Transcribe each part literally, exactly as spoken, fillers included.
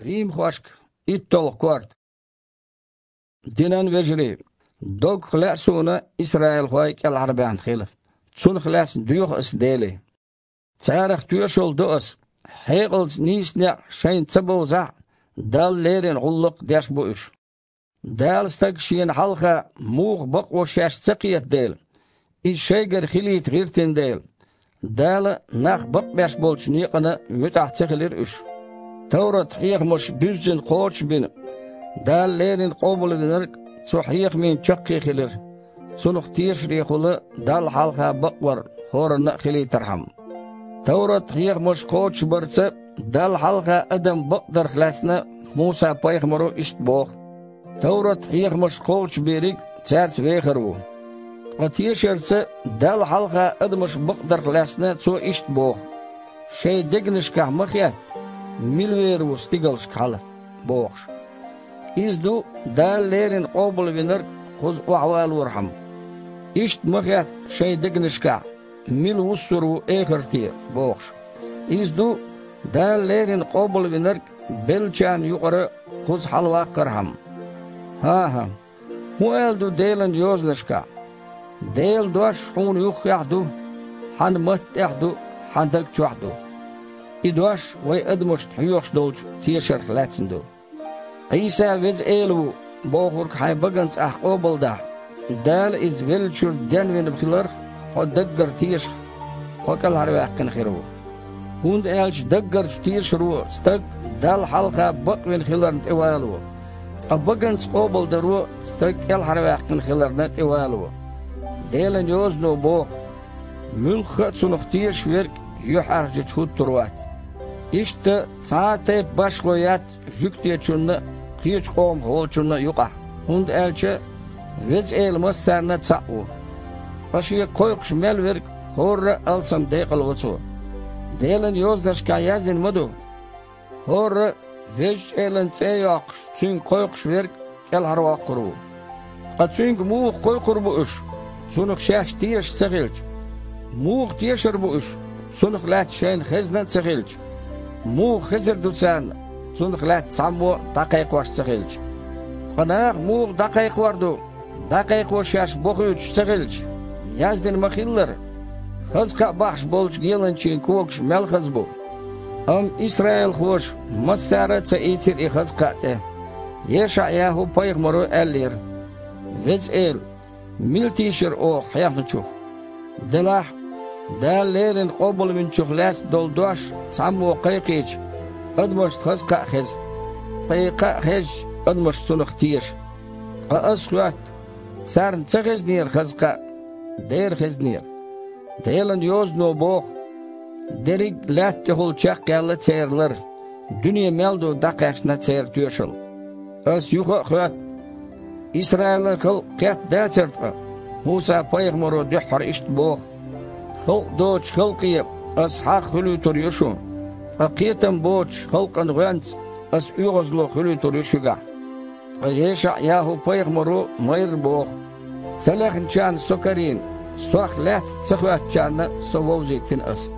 Римхошка иттолгӀа корта. Динан вежарий, доггах лаьа суна исраилхой кӀелхьарбаьхна хила. Цунах лаьцна доьху ас Деле. Царах тоьшалла до ас: хьекъалца нийса некъ шайна ца бовзахь а, Далла леррина гӀуллакх деш бу уьш. Дала стаг шена хьалха муха бакъо шаьш ца кхета дела, иза шайгара хилийта гӀиртина дела, Дала нах бакъбеш болчу некъана муьтӀахь ца хилира уьш. Таврат-хьехамаш буьззина кхочушбина, Дала леррина къобалвинарг цу хьехамийн чаккхе хилира, цунах тешарехула Далла хьалха бакъвар хӀоранна а хилийтархьама. Таврат-хьехамаш кхочушбарца Далла хьалха адам бакъдарх лаьцна Муса-пайхамаро иштта боху: «Таврат-хьехамаш кхочушбериг цаьрца вехар ву». Ткъа тешарца Далла хьалха адамаш бакъдарх лаьцна цо иштта боху: «Шайн дегнашкахь ма хетта, мила вер ву стигалшка хьала», – бохуш. Иза ду Дала леррина къобалвинарг кхуза охьавалорхьама. Иштта ма хетта шайн дегнашкахь, мила вуссур ву эхарте, бохуш. Иза ду Дала леррина къобалвинарг беллачарна юкъара кхуза хьалаваккхархьама. ХӀан-хӀа, хӀун аьлла ду Делан Йозанашкахь: «Делан дош хьуна юххехь а ду, хьан матта тӀехь а ду, хьан даг чохь а ду». И дош вай адамашна хьоьхуш долчу тешарх лаьцна ду. «Ӏийса Веза Эла ву», – бохург хьайн баганца ахь къобалдахь, Дала иза веллачуьра денвина хиларх хьо даггара тешахь, хьо кӀелхьарваьккхина хир ву. ХӀунда аьлча даггарчу тешаро стаг Далла хьалха бакъвина хиларна тӀевало, ткъа баганца къобалдаро стаг кӀелхьарваьккхина хиларна тӀевало. Делан Йозано боху: «Муьлхха а цунах тешаш верг юьхьӀаьржачу хӀуттур вац». Иштта цхьа а тайпа башхо яц жуьгтечунна а, кхечу къомах волчунна а юкъахь, хӀунда аьлча Веза Эла массарна а цхьаъ ву. Ткъа Шега кхойкхуш мел верг хӀорра а алсам декъалво цо. Делан Йозанашкахь яздина ма ду: «ХӀорра а Везачу Элан цӀе а йоккхуш, Цуьнга кхойкхуш верг кӀелхьарвоккхур ву». Ткъа Цуьнга муха кхойкхур бу уьш, Цунах шаьш тешаш ца хилча? Муха тешар бу уьш, Цунах лаьцна шайна хезна а ца хилча? Муха хезар ду царна, Цунах лаьцна цхьаммо а дӀакхайкхош ца хилча? Ткъа наха муха дӀакхайкхор ду, дӀакхайкхо шаьш бохуьйтуш ца хилча? Яздина ма-хиллара: «Хаза кхаъ бахьаш болчу геланчийн когаш мел хаза бу». Амма исраилхоша массара а ца ийцира и хаза кхаъ тӀе. ЕшаӀ-ЯхӀу-пайхамаро аьллера: «Веза Эла, мила тийшира оха хьехначух? Делахь а, Дала леррина къобалвинчух лаьцна долу дош цхьаммо кхайкхийча, адамашна хаза кхаъ хеза, ткъа и кхаъ хезча, адамаш цунах теша. Ткъа ас хоьтту: царна ца хезнера хаза кхаъ? Дера хезнера». Делан Йозано боху: «Дерриг а лаьтта тӀехула чекхъяьлла церан лар, дуьне мел ду дӀакхаьчна церан тоьшалла». Ас юха а хоьтту: «Исраилан халкъ кхетта дацара ткъа?» Муса-пайхамаро дуьххьара иштта боху: «Халкъ доцучу халкъе ас хьагӀ хуьлуьйтур ю шун, ткъа кхетам боцучу халкъан гӀоьнца ас оьгӀазло хуьлуьйтур ю шуьгахь». Ткъа ЕшаӀ-ЯхӀу-пайхамаро майрра боху: «Ца лехначарна Со карийна, Сох лаьцна ца хоьттучарна Со вовзийтина ас».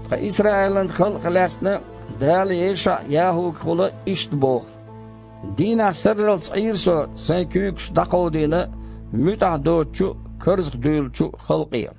Ткъа исраилан халкъах лаьцна Дала ЕшаӀ-ЯхӀугахула иштта боху: «Дийнахь сарралц Ӏийра Со Сайн куьйгаш дӀакховдийна, муьтӀахь доцучу а, карзахдуьйлучу а халкъе».